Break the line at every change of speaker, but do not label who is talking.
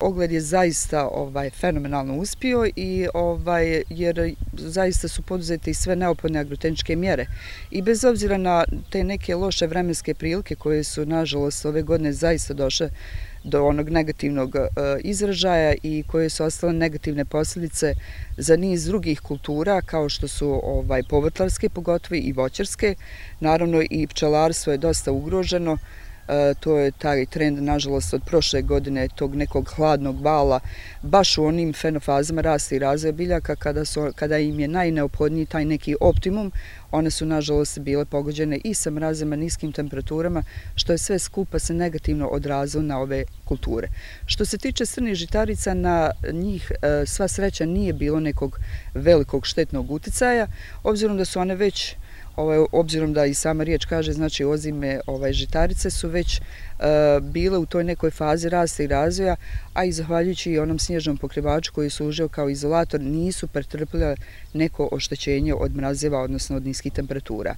Ogled je zaista fenomenalno uspio i jer zaista su poduzete i sve neophodne agrotehničke mjere. I bez obzira na te neke loše vremenske prilike koje su nažalost ove godine zaista došle do onog negativnog izražaja i koje su ostale negativne posljedice za niz drugih kultura kao što su povrtlarske pogotovo i voćarske. Naravno i pčelarstvo je dosta ugroženo. To je taj trend, nažalost, od prošle godine, tog nekog hladnog vala, baš u onim fenofazama rasta i razvoja biljaka, kada im je najneophodniji taj neki optimum, one su, nažalost, bile pogođene i sa mrazima, niskim temperaturama, što je sve skupa se negativno odrazilo na ove kulture. Što se tiče crnih žitarica, na njih sva sreća nije bilo nekog velikog štetnog uticaja, obzirom da su one već obzirom da i sama riječ kaže, znači ozime žitarice su već bile u toj nekoj fazi rasta i razvoja, a i zahvaljujući i onom snježnom pokrivaču koji je služio kao izolator nisu pretrpile neko oštećenje od mrazeva, odnosno od niskih temperatura.